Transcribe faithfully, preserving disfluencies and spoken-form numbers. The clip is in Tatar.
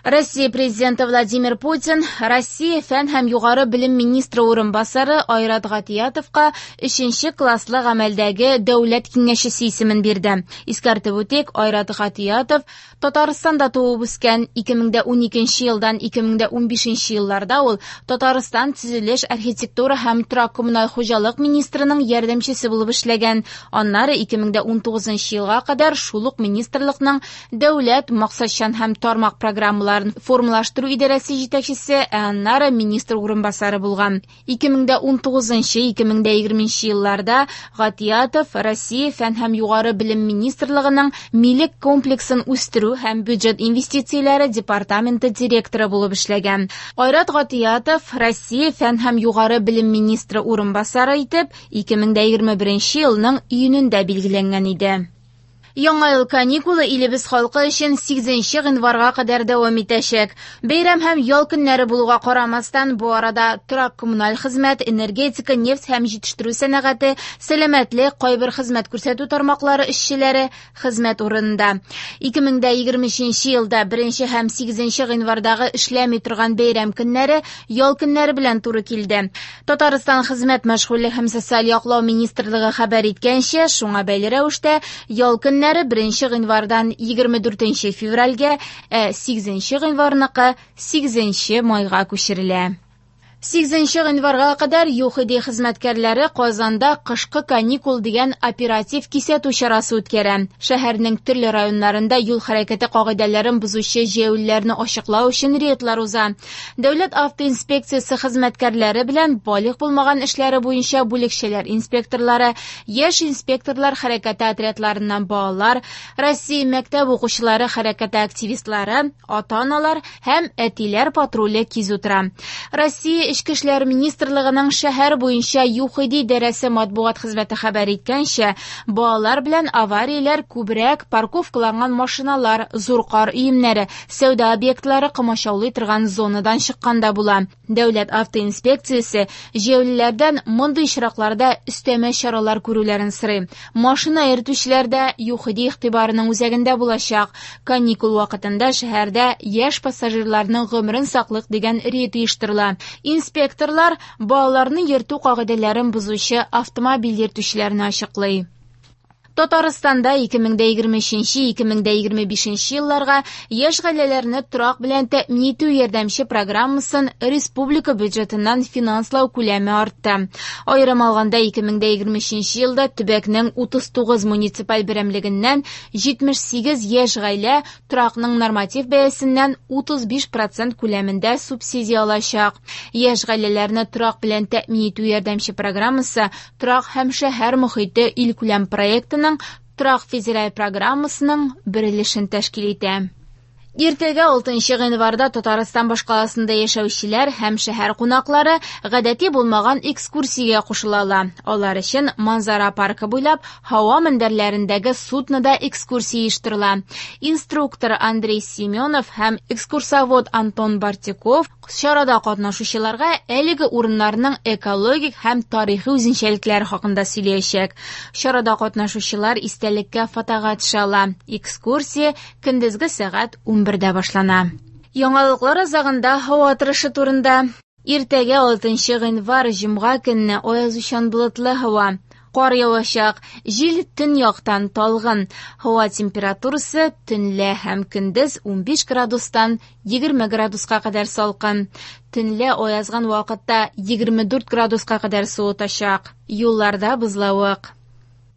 Россия Президенты Владимир Путин Россия фән һәм югары белем министры урынбасары Айрат Гатиятовка өченче класслы гамәлдәге дәүләт киңәшчесе исемен бирде. Искәртеп үтик, Айрат Гатиятов Татарстанда туып үскән. ике мең дә уникенче елдан ике мең дә унбишенче елларда ул Татарстан төзелеш, архитектура һәм торак коммуналь хуҗалык министрының ярдәмчесе булып эшләгән. Аннары ике мең дә унтугызынчы елга кадәр шул ук министрлыкның дәүләт максатчан һәм тармак программаларын формалаштыру идарәсе җитәкчесе, ә аннары министр урынбасары булган. ике мең дә унтугызынчы-ике мең дә егерменче елларда Гатиятов Россия фән һәм югары белем министрлыгының милек комплексын үстерү һәм бюджет инвестицияләре департаменты директоры булып эшләгән. Айрат Гатиятов Россия фән һәм югары белем министры урынбасары итеп ике мең дә егерме беренче елның июнендә билгеләнгән иде. Яңа ел каникулы илебез халкы өчен сигезенче гыйнварга кадәр дәвам итәчәк. Бәйрәм һәм ял көннәре булуга карамастан, бу арада торак коммуналь хезмәт, энергетика, нефть һәм җитештерү сәнәгате, сәламәтлек, кайбер хезмәт күрсәтү тармаклары эшчеләре хезмәт урынында. ике мең дә егерме өченче елда беренче һәм сигезенче гыйнвардагы эшләми торган бәйрәм көннәре ял көннәре белән туры килде. Татарстан хезмәт, мәшгульлек һәм социаль яклау министрлыгы хәбәр иткәнчә, шуңа бәйле рәвештә ял көннәре беренче гыйнвардан егерме дүртенче февральгә, ә сигезенче гыйнварныкы сигезенче майга күчерелә. Сигезенче гыйнварга кадәр ЮХИДИ хезмәткәрләре Казанда «Кышкы каникул» дигән оператив кисәтү чарасы үткәрә. Шәһәрнең төрле районнарында юл хәрәкәте кагыйдәләрен бозучы җәяүлеләрне ачыклау өчен рейдлар уза. Дәүләт автоинспекциясе хезмәткәрләре белән балигъ булмаган эшләре буенча бүлекчәләр инспекторлары, яшь инспекторлар хәрәкәте отрядларыннан балалар, Россия мәктәп укучылары хәрәкәте активистлары, ата-аналар һәм әтиләр патруле кизү тора. Россия Эчке эшләр министрлыгының шәһәр буенча ЮХИДИ идарәсе матбугат хезмәте хәбәр иткәнчә, балалар белән аварияләр күбрәк парковкаланган машиналар, зур кар өемнәре, сәүдә объектлары комачаулый торган зонадан чыкканда була. Дәүләт автоинспекциясе җәяүлеләрдән мондый очракларда өстәмә чаралар күрүләрен сорый. Машина йөртүчеләр дә ЮХИДИ игътибарының үзәгендә булачак. Каникул вакытында шәһәрдә «Яшь пассажирларның гомерен саклыйк» дигән рейд оештырыла. Инспекторлар балаларны йөртү кагыйдәләрен бозучы автомобиль йөртүчеләрне ачыклый. Татарстанда ике мең дә егерме өченче-ике мең дә егерме бишенче елларга яшь гаиләләрне торак белән тәэмин итү ярдәмче программасын республика бюджетыннан финанслау күләме артты. Аерым алганда, ике мең дә егерме өченче елда төбәкнең утыз тугыз муниципаль берәмлегеннән җитмеш сигез яшь гаилә торакның норматив бәясеннән утыз биш процент күләмендә субсидия алачак. Яшь гаиләләрне торак белән тәэмин итү ярдәмче программасы «Торак һәм шәһәр мохите» илкүләм проектының Торак федераль программасының бер өлешен тәшкил итә. Иртәгә, алтынчы гыйнварда, Татарстан башкаласында яшәүчеләр һәм шәһәр кунаклары гадәти булмаган экскурсиягә кушыла ала. Алар өчен Манзара паркы буйлап һава мендәрләрендәге суднода экскурсия оештырыла. Инструктор Андрей Семенов һәм экскурсовод Антон Бартиков чарада катнашучыларга әлеге урыннарның экологик һәм тарихи үзенчәлекләре хакында сөйләячәк. Чарада катнашучылар истәлеккә фотога төшә ала. Экскурсия көндезге сәгать унбердә башлана. Яңалыклар азагында һава торышы турында. Иртәгә, алтынчы гыйнвар, җомга көнне, аязучан болытлы һава. Кар явачак. Җил төньяктан талгын. Һава температурасы төнлә һәм көндез унбиш градустан егерме градуска кадәр салкын. Төнлә аязган вакытта егерме дүрт градуска кадәр суытачак. Юлларда бозлавык.